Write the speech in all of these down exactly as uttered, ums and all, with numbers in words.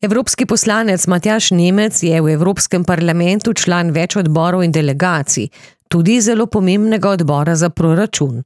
Evropski poslanec Matjaž Nemec je v Evropskem parlamentu član več odborov in delegacij, tudi zelo pomembnega odbora za proračun.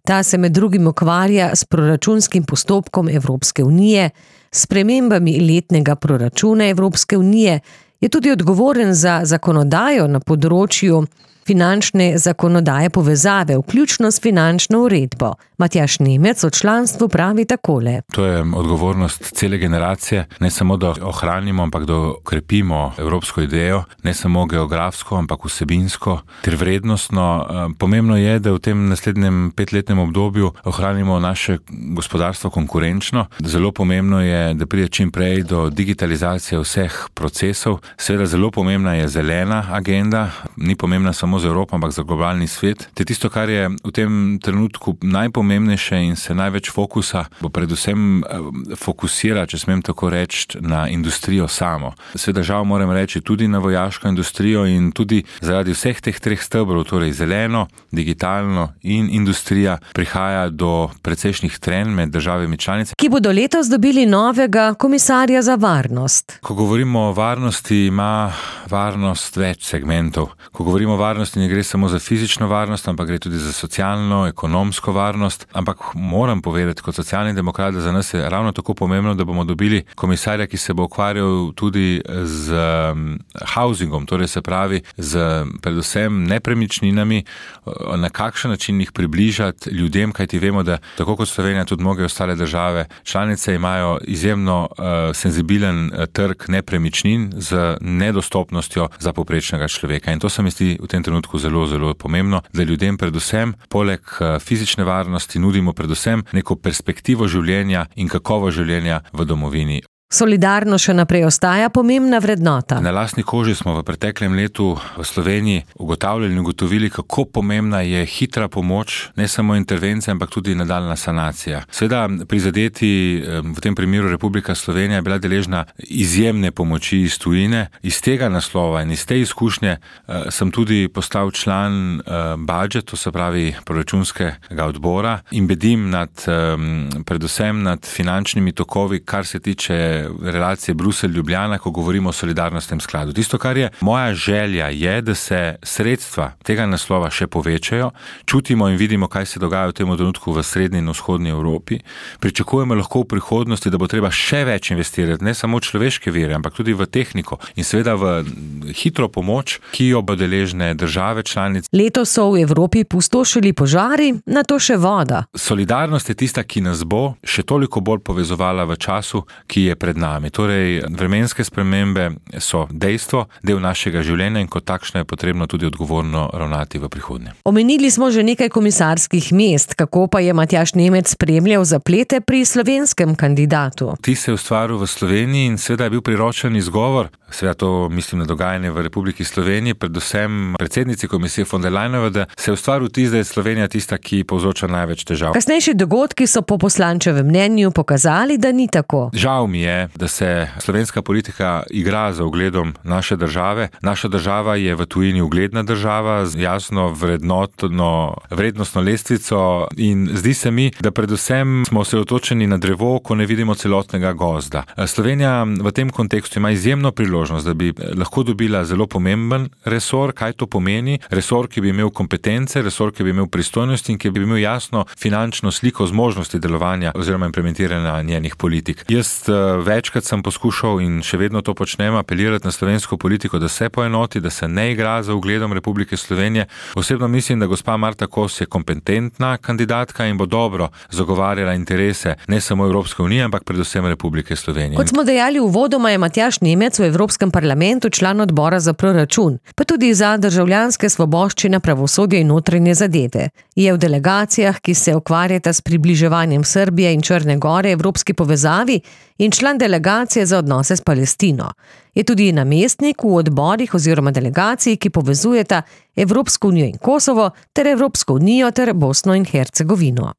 Ta se med drugim ukvarja s proračunskim postopkom Evropske unije, s spremembami letnega proračuna Evropske unije, je tudi odgovoren za zakonodajo na področju finančne zakonodaje povezave, vključno s finančno uredbo. Matjaž Nemec o članstvu pravi takole. To je odgovornost cele generacije, ne samo da ohranimo, ampak da okrepimo evropsko idejo, ne samo geografsko, ampak vsebinsko ter vrednostno. Pomembno je, da v tem naslednjem petletnem obdobju ohranimo naše gospodarstvo konkurenčno. Zelo pomembno je, da pride čim prej do digitalizacije vseh procesov. Seveda zelo pomembna je zelena agenda, ni pomembna samo za Evropo, ampak za globalni svet. Te tisto, kar je v tem trenutku najpomembnejše in se največ fokusa, bo predvsem fokusira, če smem tako reči, na industrijo samo. Seveda žal moram reči tudi na vojaško industrijo in tudi zaradi vseh teh treh stebrov, torej zeleno, digitalno in industrija, prihaja do precejšnjih trenj med državami članice, ki bodo letos dobili novega komisarja za varnost. Ko govorimo o varnosti, ima varnost več segmentov. Ko govorimo o varnosti, ne gre samo za fizično varnost, ampak gre tudi za socialno, ekonomsko varnost. Ampak moram povedati kot socialni demokrat, da za nas je ravno tako pomembno, da bomo dobili komisarja, ki se bo ukvarjal tudi z housingom, torej se pravi z predvsem nepremičninami, na kakšen način jih približati ljudem, kajti vemo, da tako kot Slovenija, tudi mnoge ostale države članice imajo izjemno uh, senzibilen uh, trg nepremičnin z nedostopnostjo za povprečnega človeka. In to se mi zdi v tem trenutku zelo, zelo pomembno, da ljudem predvsem, poleg fizične varnosti, nudimo predvsem neko perspektivo življenja in kakovo življenja v domovini. Solidarno še naprej ostaja pomembna vrednota. Na lastni koži smo v preteklem letu v Sloveniji ugotavljali in ugotovili, kako pomembna je hitra pomoč, ne samo intervencija, ampak tudi nadaljna sanacija. Seveda prizadeti, v tem primeru Republika Slovenija, je bila deležna izjemne pomoči iz tujine. Iz tega naslova in iz te izkušnje sem tudi postal član budžet, to se pravi proračunskega odbora, in bedim nad, predvsem nad finančnimi tokovi, kar se tiče relacije Bruselj-Ljubljana, ko govorimo o solidarnostnem skladu. Tisto, kar je moja želja, je, da se sredstva tega naslova še povečajo. Čutimo in vidimo, kaj se dogaja v tem trenutku v srednji in vzhodni Evropi. Pričakujemo lahko v prihodnosti, da bo treba še več investirati, ne samo v človeške vire, ampak tudi v tehniko in seveda v hitro pomoč, ki jo bo deležne države članice. Letos so v Evropi pustošili požari, nato še voda. Solidarnost je tista, ki nas bo še toliko bolj povezovala v času, ki je pred nami. Torej, vremenske spremembe so dejstvo, del našega življenja in kot takšno je potrebno tudi odgovorno ravnati v prihodnje. Omenili smo že nekaj komisarskih mest, kako pa je Matjaž Nemec spremljal zaplete pri slovenskem kandidatu. Ti se je ustvaril v Sloveniji in seveda je bil priročen izgovor, seveda to mislim na dogajanje v Republiki Sloveniji, predvsem predsednici komisije von der Leyenove, da se je ustvaril tisti, da je Slovenija tista, ki povzroča največ težav. Kasnejši dogodki so po poslančevem mnenju pokazali, da ni tako. Žal mi je, da se slovenska politika igra za ugledom naše države. Naša država je v tujini ugledna država z jasno vrednotno, vrednostno lestvico in zdi se mi, da predvsem smo osredotočeni na drevo, ko ne vidimo celotnega gozda. Slovenija v tem kontekstu ima izjemno priložnost, da bi lahko dobila zelo pomemben resor. Kaj to pomeni? Resor, ki bi imel kompetence, resor, ki bi imel pristojnosti in ki bi imel jasno finančno sliko zmožnosti delovanja oziroma implementiranja njenih politik. Jaz večkrat sem poskušal in še vedno to počnem apelirati na slovensko politiko, da se poenoti, da se ne igra za ugledom Republike Slovenije. Osebno mislim, da gospa Marta Kos je kompetentna kandidatka in bo dobro zagovarjala interese ne samo Evropske unije, ampak predvsem Republike Slovenije. Kot smo dejali uvodoma, je Matjaž Nemec v Evropskem parlamentu član odbora za proračun, pa tudi za državljanske svoboščine, pravosodje in notranje zadeve. Je v delegacijah, ki se ukvarjata s približevanjem Srbije in Črne Gore evropski povezavi in član delegacije za odnose s Palestino. Je tudi namestnik v odborih oziroma delegaciji, ki povezujeta Evropsko unijo in Kosovo ter Evropsko unijo ter Bosno in Hercegovino.